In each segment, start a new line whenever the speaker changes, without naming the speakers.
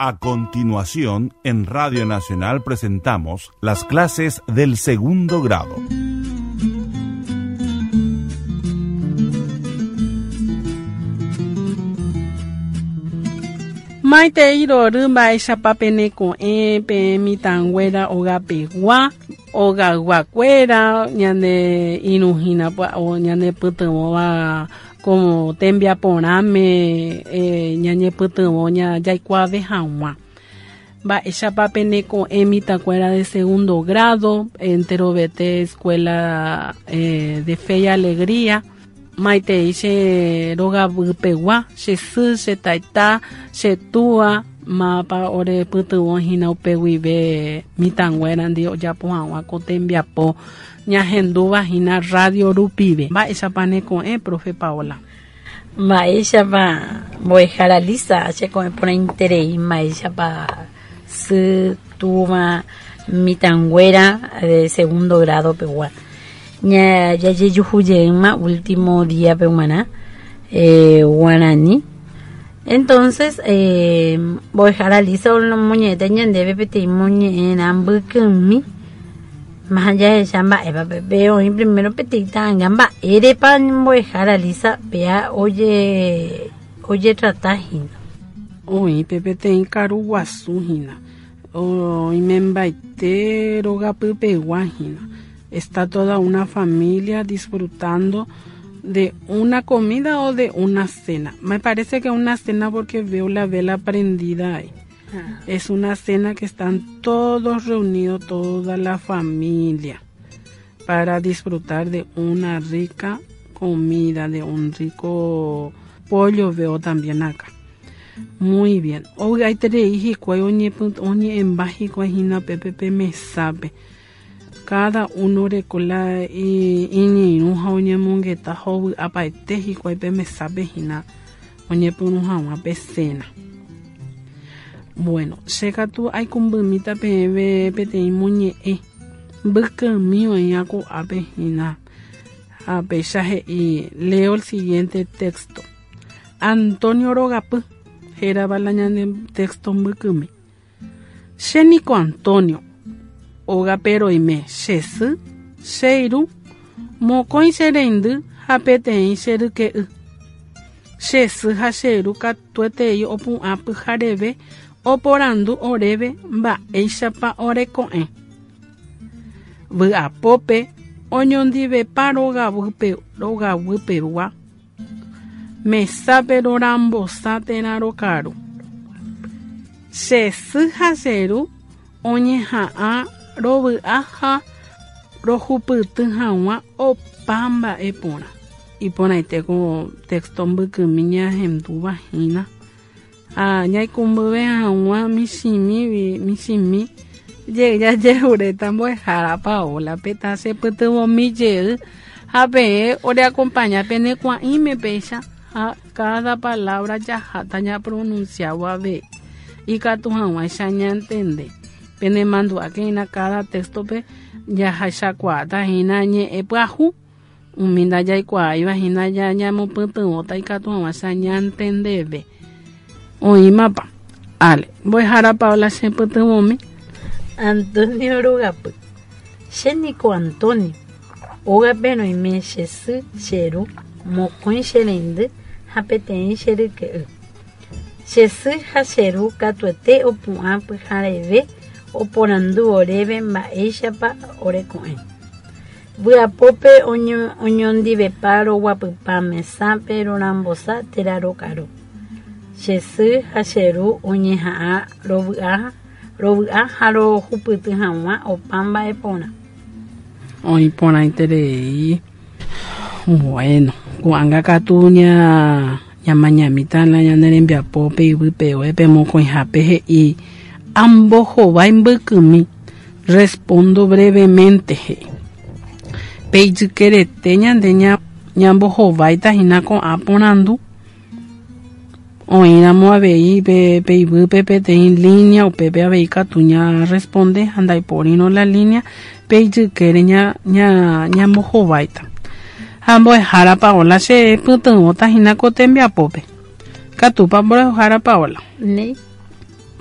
A continuación, en Radio Nacional presentamos las clases del segundo grado.
Maitei rory mba'éichapa peneko'ẽ peẽ mitãnguéra ogapegua, ogayguakuéra, ñane irũ hína ñanepytyvõva Ko tembiaporãme ñañepytyvõ jaikuaave hag̃ua. Mba'éichapa pene ko'ẽ mitãkuéra de segundo grado, enterovete escuela de Fe y Alegría, maitei che rogapypegua, che sy, che taita, che túa, mávapa orepytyvõ hína upe guive mitãnguérandi ojapo hag̃ua ko tembiapo Ñahendúva hína rrádio rupive. Mba'éichapa ne ko'ẽ, profe Paola?
Mba'éichapa mbo'ehára Lisa, che ko'ẽ porãiterei mba'éichapa sy, túva, mitãnguéra de segundo grado pegua. Ña jajejuhu jeýma último día pe g̃uarã eh, guarani. Entonces, eh, mbo'ehára Lisa omoñe'ẽta ñandéve peteĩ moñe'ẽrã mbykymi. Máha jahecha mba'épa pe oĩ primero peteĩ ta'anga mba'érepa mbo'ehára Lisa péa oje ojetrata hína.
Oĩ pe peteĩ karu guasu hína, oimembaite rogapypegua hína. Está toda una familia disfrutando de una comida o de una cena. Me parece que una cena porque veo la vela prendida ahí. Es una cena que están todos reunidos, toda la familia, para disfrutar de una rica comida, de un rico pollo veo también acá. Muy bien. Ovy'aiterei hikuái oñe'ẽmba hikuái hína pépe pe mesápe. Cada uno oreko la iñirũ ha oñemongeta ha ovy'apaite hikuái pe mesápe hína oñepyrũ hag̃ua pe cena. Bueno, che katu aikumbyimíta peẽve peteĩ moñe'ẽ mbykymi oĩva ko'ápe hína. Ha péicha he'i, leo el siguiente texto. Antonio rogapy, hérava la ñande texto mbykymi. Che niko Antonio, ógape roime che sy, che irũ, mokõi che reindy ha peteĩ che ryke'y. Che sy ha che ru katuetei opu'ã pyhareve oporandu oréve mba'éichapa oreko'ẽ. Vy'apópe oñondivepa rogaguypegua Mesápe rorambosa térã rokaru. Che sy ha che ru oñeha'ã rovy'a ha rohupyty hag̃ua opa mba'e porã. Iporãite ko texto mbykymi ñahendúva hína. Ha ñaikumbyve hag̃ua michĩmi michĩmi jey jajeruréta mbo'ehára Paola-pe tachepytyvõmi jey ha peẽ oreakompaña pene kuã'íme péicha ha káda palávra jaháta ñapronunsiávo avei ikatu hag̃uáicha ñantende. Penemandu'áke hína káda téxtope jahechakuaáta hína ñe'ẽ pyahu. Umi ndajaikuaáiva hína ñamopytyvõta ikatu hag̃uáicha ñantendeve. Oĩmapa? Ale, mbo'ehára Paola che pytyvõmi.
Antonio rogapy. Che niko Antonio. Ógape roime che sy, che ru, mokõi che reindy ha peteĩ che ryke'y. Che sy ha che ru katuete opu'ã pyhareve oporandu oréve mba'éichapa oreko'ẽ. Vy'apópe oñondivepa roguapypa mesápe rorambosa térã rokaru. Che sy ha che ru oñeha'ã rovy'a, rovy'a ha rohupyty hag̃ua opa mba'e porã.
Oĩ porãiterei. Bueno, ko'ág̃a katu ña ñamañamíta la ñane rembiapo pe yvypegue pe mokõihápe he'i ambohovái mbykymi. Respondo brevemente, he'i. Pe ijykerete ñande ñambohováita hína ko'ã porandu. Oĩramo avei pe pe yvýpe peteĩ línea, upépe avei katu ñarresponde ha ndaipórirõ la línea, pe ijykére ña ña ñambohováita. Ha mbo'ehára Paola che pytyvõta hína ko tembiapópe. Katúpa mbo'ehára Paola?
Néi.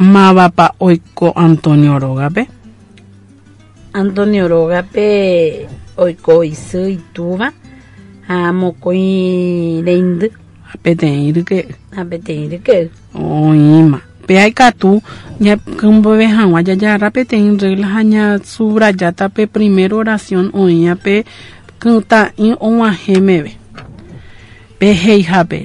Mávapa oiko Antonio rógape?
Antonio rógape oiko isy, itúva ha mokõi reindy.
Ha peteĩ ryke'y.
Ha peteĩ ryke'y.
Oĩma. Péa ikatu ñakymbove hag̃ua jajagarra peteĩ regla ha ñasubrajáta pe primera oración oĩva pe kytã'i og̃uahẽ meve. Pe he'ihápe,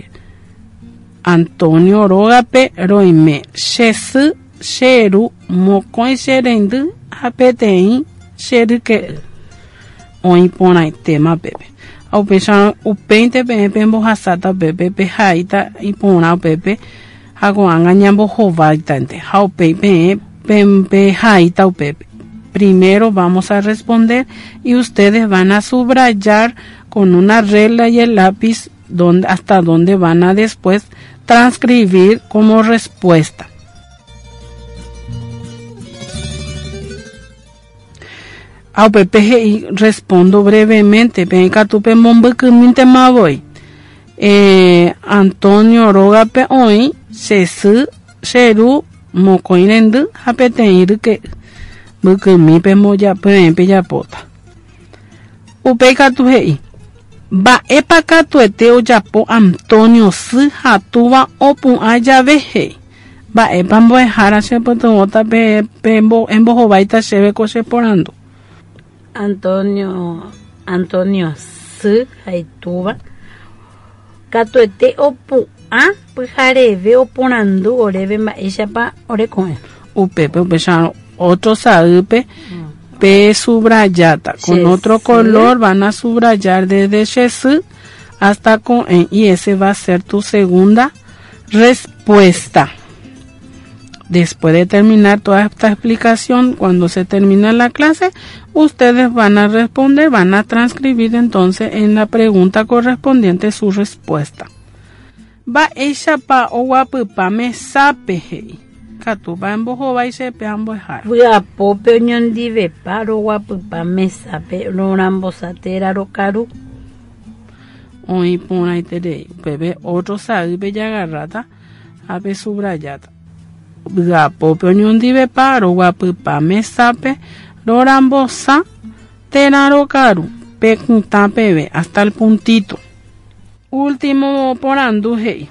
Antonio rógape roime, che sy, che ru, mokõi che reindy ha peteĩ che ryke'y. Oĩ porãitéma pépe. Ha upéicharõ upéinte peẽ pembohasáta upépe, pehaíta iporã upépe ha ko'ág̃a ñambohováitante ha upéi peẽ pehaíta upépe. Primero vamos a responder y ustedes van a subrayar con una regla y el lápiz donde, hasta donde van a después transcribir como respuesta. Ha upépe he'i, Respondo brevemente, peẽ katu pemombykymíntema voi. Eh, Antonio rógape oĩ che sy, che ru, mokõi rendy ha peteĩ ryke'y. Mbykymi pemboja, peẽ pejapóta. Upéi katu he'i, Mba'épa katuete ojapo Antonio sy ha túva opu'ã jave? he'i. Mba'épa mbo'ehára chepytyvõta pe embohováita chéve ko che porandu?
Antonio, Antonio sy ha itúva katuete opu'ã pyhareve oporandu oréve mba'éichapa oreko'ẽ.
Upépe upéicharõ ótro saýpe pe subrayáta. Con otro color van a subrayar desde che sy hasta ko'ẽ y ese va a ser tu segunda respuesta. Después de terminar toda esta explicación, cuando se termina la clase, ustedes van a responder, van a transcribir entonces en la pregunta correspondiente su respuesta. Mba'éichapa oguapypa mesápe, he'i. Ikatúpa embohovái chepe ambo'ehára.
Vy'apópe oñondivepa roguapypa mesápe rorambosa térã rokaru.
Oĩ porãiterei. Upépe ótro saýpe jagarráta ha pesubrajáta. Vy'apópe oñondivepa roguapypa mesápe rorambosa térã rokaru pe kytã peve, hasta el puntito. Último porandu he'i.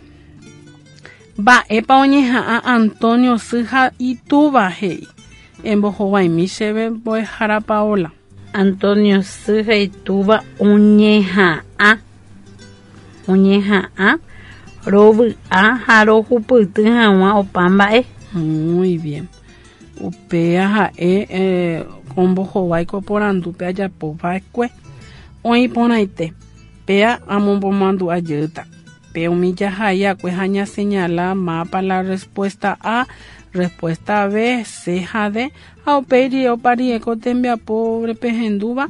Mba'épa oñeha'ã Antonio sy ha itúva he'i. Embohovaimi chéve mbo'ehára Paola.
Antonio sy ha itúva oñeha'ã oñeha'ã rovy'a ha rohupyty hag̃ua opa mba'e.
Muy bien. Upéa ha'e eh, ombohovái ko porandúpe ajapo va'ekue. Oĩ porãite. Péa amombomandu'a jeýta. Pe umi jahai akue ha ñaseñala mápa la respuesta A, respuesta B, C ha D, ha upéi rire opa rire ko tembiapo pehendúva,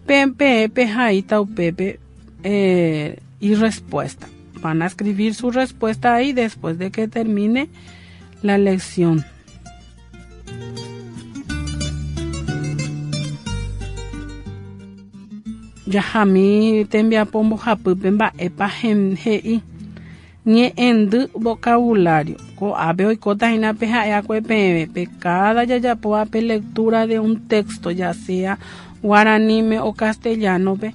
pe peẽ pehaíta upépe eh, irrespuesta. Van a escribir su respuesta ahí después de que termine la lección. Jahami tembiapo mbohapýpe mba'épa he'i ñe'ẽndy vocabulario. Ko'ápe oikóta hína pe ha'eakue peẽve pe káda jajapóva pe lectura de un texto, ya sea guaraníme o castellano-pe,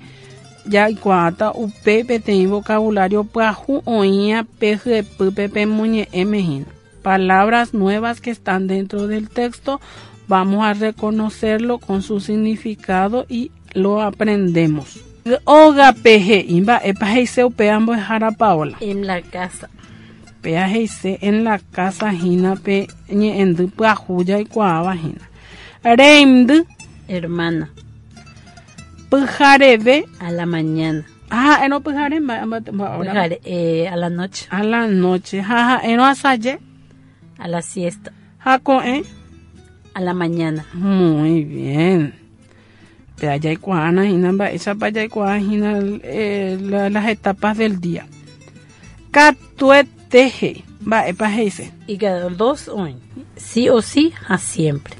jaikuaáta upe peteĩ vocabulario pyahu oĩva pe hyepýpe pemoñe'ẽme hína. Palabras nuevas que están dentro del texto, vamos a reconocerlo con su significado y lo aprendemos. Ógape he'i mba'épa he'ise upéva mbo'ehára Paola.
En la casa.
Péa he'ise en la casa hína pe ñe'ẽndy pyahu jaikuaáva hína. Reindy.
Hermana.
Pyhareve.
A la mañana.
Ha ha'érõ pyhare mba'e hora?
Pyhare, eh, a la noche.
A la noche. Ha ha'érõ asaje.
A la siesta.
Ha ko'ẽ.
A la mañana.
Muy bien. Péa jaikuaána hína mba'éichapa jaikuaa hína eh, las etapas del día. Katuete he'i. Mba'épa he'ise?
Ikatu dos oĩ. Sí o sí ha siempre.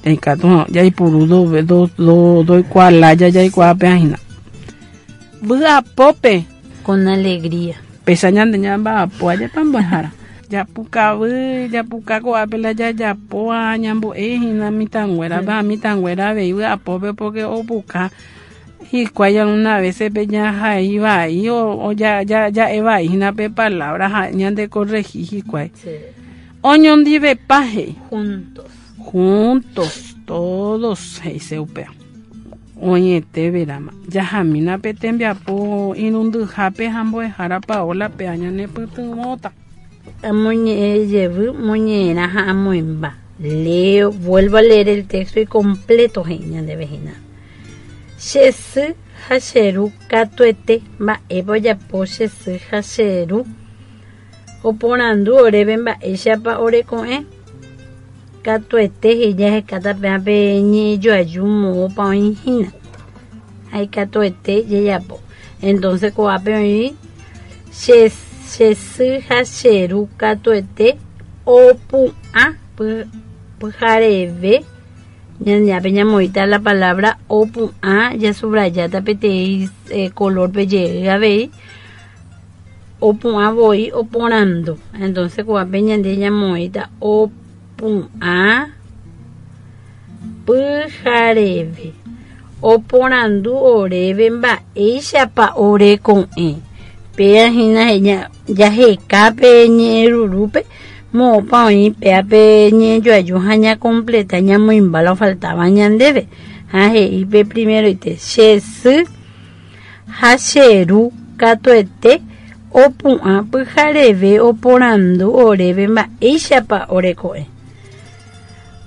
Ikatu jaipuru do, do, do, doikuaa lája jaikuaa péa hína. Vy'apópe.
Con alegría.
Péicha ñande ñamba'apo ajépa mbo'ehára. Japukavy, japuka ko'ápe la jajapóva ñambo'e hína mitãnguérape ha mitãnguéra avei vy'apópe porque opuka hikuái alguna veces pe jahai vai o ja'e vai hína pe palabra ha ñande corregi hikuái. Oñondivepa he'i.
Juntos.
Juntos, todos he'ise upéva. Oĩete verama. Jahamína pe tembiapo irundyhápe ha mbo'ehára Paola péa ñanepytyvõta.
Amoñe'ẽ jevy moñe'ẽrã ha amoĩmba. Leo, vuelvo a leer el texto y completo he'i ñandéve hína. Che sy ha che ru katuete mba'épa ojapo che sy ha che ru. Oporandu oréve mba'éichapa oreko'ẽ. Katuete he'i jahekáta péva pe ñe'ẽjoaju moõpa oĩ hína. Ha ikatuete jajapo. Entonces ko'ápe oĩ che, che sy ha che ru katuete opu'ã pyhareve ñañápe ñamoĩta la palabra opu'ã jasubrajáta peteĩ eh, color pe jey avei opu'ã voi oporandu. Entonces ko'ápe ñande ñamoĩta opu'ã pyhareve. Oporandu oréve mba'éichapa oreko'ẽ. Péa hína jaheka pe ñe'ẽrurúpe moõpa oĩ péa pe ñe'ẽjoaju ha ñakompleta ñamoĩmba la ofaltáva ñandéve. Ha he'i pe primeroite, che sy Ha che ru katuete opu'ã pyhareve oporandu oréve mba'éichapa oreko'ẽ.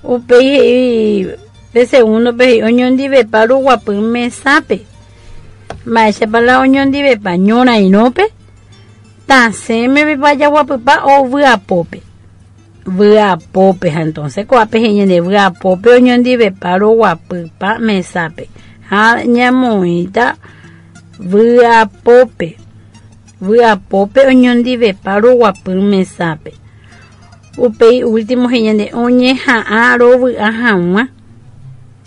Upéi he'i pe segúndope he'i oñondivepa ruguapy mesápe. Mba'éichapa la oñondivepa ñorairõpe, tasẽmevepa jaguapypa ovy'apópe. Vy'apópe, ha entonces ko'ápe he'i ñande vy'apópe oñondivepa roguapypa mesápe ha ñamoĩta vy'apópe, vy'apópe oñondivepa roguapy mesápe. Upéi último he'i ñande oñeha'ã rovy'a hag̃ua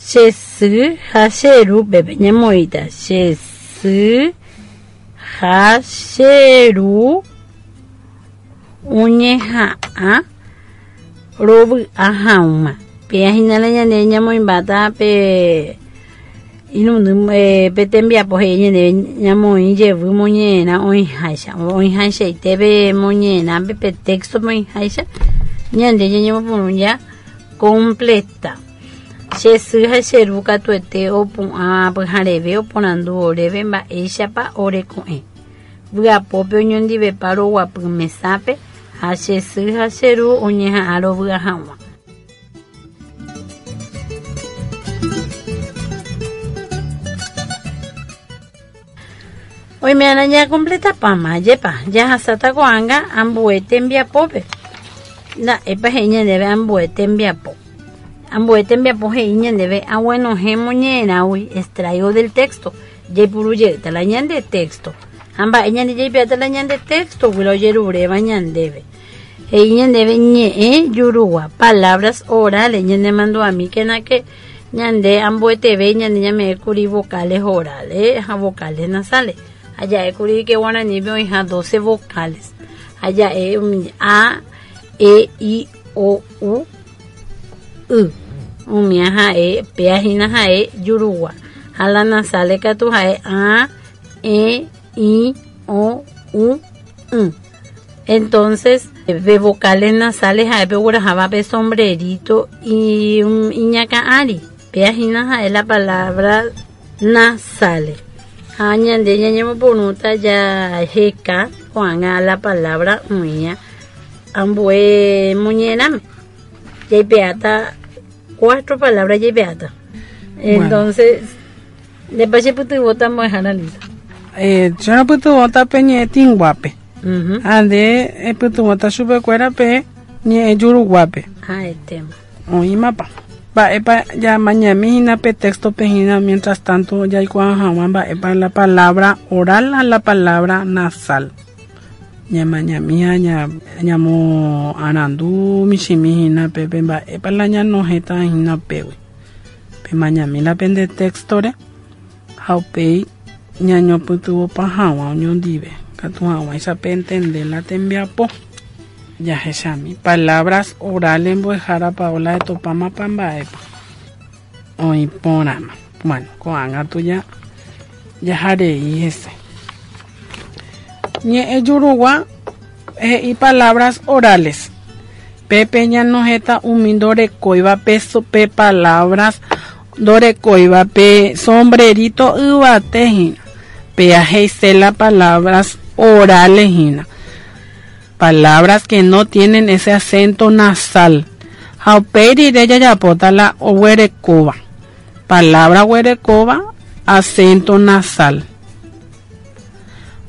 che sy ha che ru pépe ñamoĩta che sy ha che ru Oñeha'ã rovy'a hag̃ua. Péa hína la ñande ñamoĩmbáta pe irundy pe tembiapo he'i ñandéve ñamoĩ jevy moñe'ẽrã oĩháicha. Oĩhaichaite pe moñe'ẽrãpe pe texto-pe oĩháicha ñande ñañemopyrũ ja completa. Che sy ha che ru katuete opu'ã pyhareve oporandu oréve mba'éichapa oreko'ẽ. Vy'apópe oñondivepa roguapy mesápe ha che sy ha che ru oñeha'ã rovy'a hag̃ua. Oime'arã ñakompletapáma, ajépa, jahasáta ko'ág̃a ambue tembiapópe. Nda'épa he'i ñandéve ambue tembiapo. Ambue tembiapo he'i ñandéve aguenohẽ moñe'ẽrãgui, extraigo del texto. Jaipuru jeýta la ñande texto. Ha mba'e ñande jaipe'áta la ñande texto-gui la ojeruréva ñandéve. He'i ñandéve ñe'ẽ jurugua, palabras orales, ñanemandu'amíkena que ñande ambueteve ñande ñame'ẽ kuri vocales orales ha vocales nasales. Ha ja'e kuri que guaranípe oĩha 12 vocales. Ha ja'e umi a, e, i, o, u, y. Umía ha'e, péa hína ha'e jurugua. Ha la nasale katu ha'e a, e, i, o, u, y. Entonces, pe vocales nasales ha'e pe ogueraháva pe sombrerito iñakã ári. Péa hína ha'e la palabra nasales. Ha ñande ñañemoporũta jaheka ko'ág̃a la palabra oĩva ambue moñe'ẽrãme. Jaipe'áta cuatro palabra jaipe'áta. Entonces, ndépa chepytyvõta mbo'ehára Lisa?
Eh, che ropytyvõta pe ñe'ẽ tĩnguápe. Ha nde epytyvõta chupekuéra pe ñe'ẽ juruguápe.
Ha'etéma.
Oĩmapa. Mba'épa jamañami hína pe texto-pe hína mientras tanto jaikuaa hag̃ua mba'épa la palabra oral ha la palabra nasal. Ñamañami ha ñamoarandu michĩmi hína pe pe mba'épa la ñanohẽta hína upégui. Pemañami la pende texto-re ha upéi ñañopytyvõpa hag̃ua oñondive, katu hag̃uáicha pentende la tembiapo. Jahechami. Palabras orales mbo'ehára Paola etopámapa mba'épa. Oĩ porãma. Bueno, ko'ág̃a tuja jaharei hese. Ñe'ẽ jurugua he'i palabras orales. Pépe ñanohẽta umi ndorekóiva pe, pe palabras ndorekóiva pe sombrerito yvate hína. Péa he'ise la palabras orales hína. Palabras que no tienen ese acento nasal. Ha upéi rire jajapóta la oguerekóva. Palabra oguerekóva acento nasal.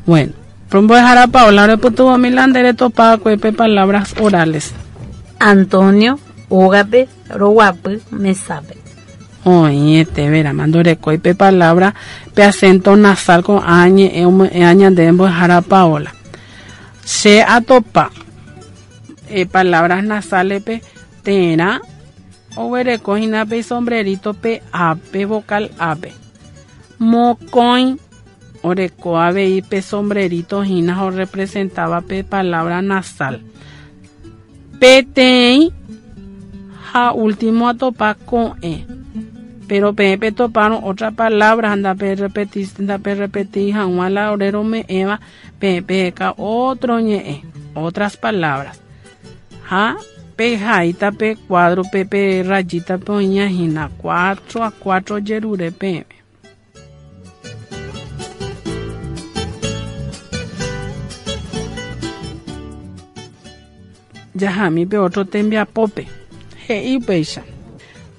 Bueno, mbo'ehára Paola orepytyvõmi la nde retopa'akue pe palabras orales.
Antonio ógape roguapy mesápe.
Oĩete verama ndorekói pe palabra pe acento nasal ko'ã ñe'ẽ ome'ẽva ñandéve mbo'ehára Paola. Che atopa eh, palabras nasales-pe térã oguereko hína pe sombrerito pe a-pe vocal a-pe. Mokõi oreko avei pe sombrerito hína orepresentaba pe palabra nasal. Peteĩ ha último atopa ko'ẽ. Pero peẽ petopárõ otra palabra ndape repeti ndape repeti hag̃ua la ore rome'ẽva peẽ peheka otro ñe'ẽ, otras palabras. Ha pehaíta pe cuadro pe pe rayita pe oĩña hína 4 a 4 jerure peẽme. Jahami pe otro tembiapópe. He'i upéicha.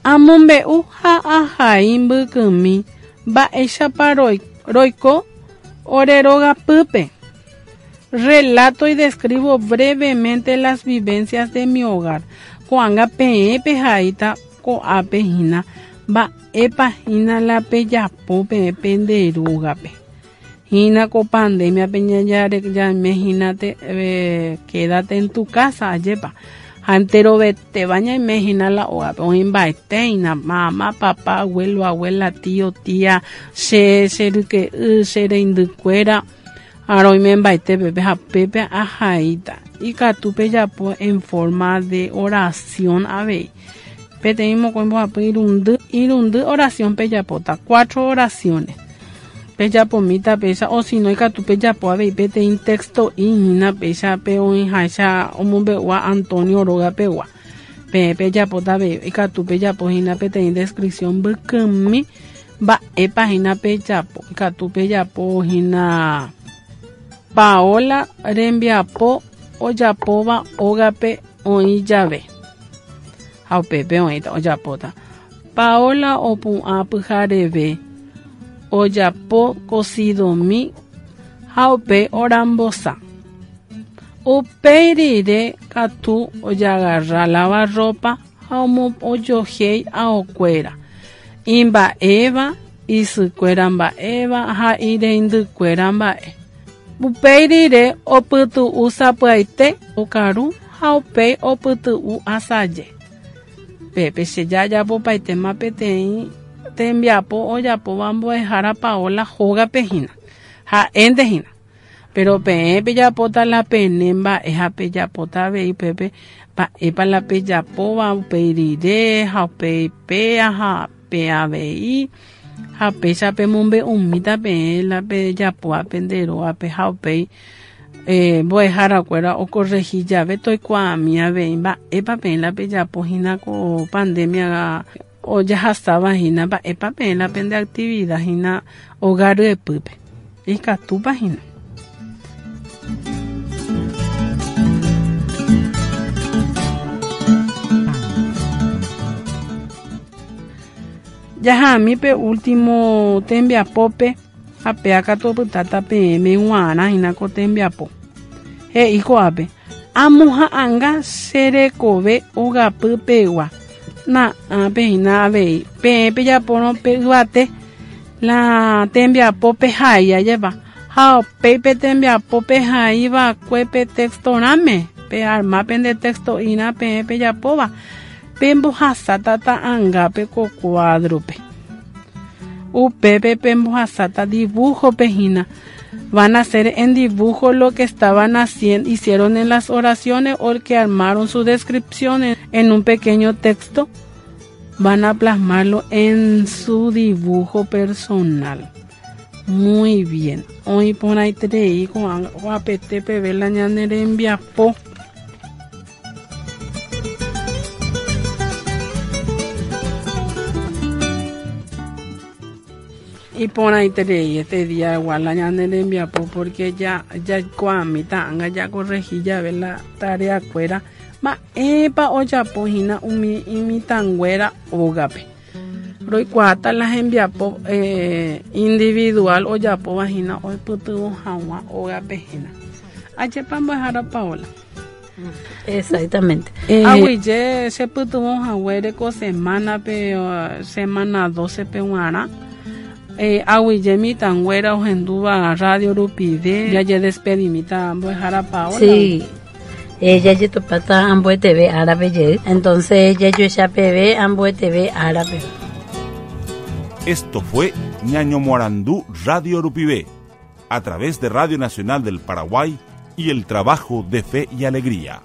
Amombe'u ha ahai mbykymi mba'éichapa roiko ore rogapýpe. Relato y describo brevemente las vivencias de mi hogar. Ko'ág̃a peẽ pehaíta ko'ápe hína mba'épa hína la pejapo peẽ pende rógape. Hína ko pandemia-pe ñaime hína quédate en tu casa ajépa. Ha enterovetéva ñaime hína la ógape oĩmbaete hína mama, papá, abuelo, abuela, tío, tía, che, che ryke'y, che reindykuéra ha roimembaete pépe ha pépe ahaíta. Ikatu pejapo en forma de oración avei. Peteĩ mokõi mbohapy irundy, irundy oración pejapóta, cuatro oraciones. Pejapomíta péicha o si no ikatu pejapo avei peteĩ texto'i hína péicha pe oĩháicha omombe'úva Antonio rógapegua. Peẽ pejapóta avei ikatu pejapo hína peteĩ descripción mbykymi mba'épa hína pejapo. Ikatu pejapo hína Paola rembiapo ojapóva ógape oĩ jave. Ha upépe oĩta ojapóta. Paola opu'ã pyhareve ojapo kosidomi ha upe orambosa. Upéi rire katu ojagarra lavarropa ha ojohéi aokuéra. Imba'éva, isykuéra mba'éva ha ireindykuéra mba'e. Upéi rire opytu'u sapy'aite okaru ha upéi opytu'u asaje. Pépe che jajapopaitéma peteĩ tembiapo ojapóva mbo'ehára Paola hógape hína. Ha'énte hína. Pero peẽ pejapóta la pene mba'e ha pejapóta avei upépe mba'épa la pejapóva upéi rire ha upéi péa ha pe avei ha péicha pemombe'umíta peẽ la pejapóva pende rógape ha upéi mbo'eharakuéra okorrehi jave toikuaami avei mba'épa peẽ la pejapo hína ko pandemia ojahasáva hína mba'épa peẽ la pende actividad hína hogar ryepýpe. Ikatúpa hína. Jahami pe último tembiapópe ha péa katu opytáta peẽme g̃uarã hína ko tembiapo. He'i ko'ápe amoha'ãnga che rekove ogapypegua. Na'ápe hína avei peẽ pejapórõ pe yvate la tembiapo pehai ajépa ha upéi pe tembiapo pehaiva'ekue pe textorãme pe arma pende texto'irã peẽ pejapóva pembohasáta ta'ãngápe ko cuadro-pe. Upépe pembohasáta dibujo-pe hína. Van a hacer en dibujo lo que estaban haciendo, hicieron en las oraciones o que armaron su descripción en un pequeño texto. Van a plasmarlo en su dibujo personal. Muy bien. Hoy por ahí te con apetece la rembiapo. Iporãiterei este día igual la ñane rembiapo porque ya jaikuaamíta ág̃a jakorrehi jave la tareakuéra mba'épa ojapo hína umi imitãnguéra ógape. Roikuaáta la hembiapo eh, individual ojapóva hína oipytyvõ hag̃ua ógape hína. Ajépa mbo'ehára Paola.
Exactamente.
Eh, Aguyje chepytyvõ haguére ko semánape, semana 12-pe g̃uarã. Eh, aguyje mitãnguéra ohendúva radio rupive. Jajedespedimíta mbo'ehára Paola.
Sí. Eh, jajetopáta ambueteve árape jey. Entonces jajoecha peve ambueteve árape.
Esto fue Ñaño Morandú Radio Rupive, a través de Radio Nacional del Paraguay y el trabajo de Fe y Alegría.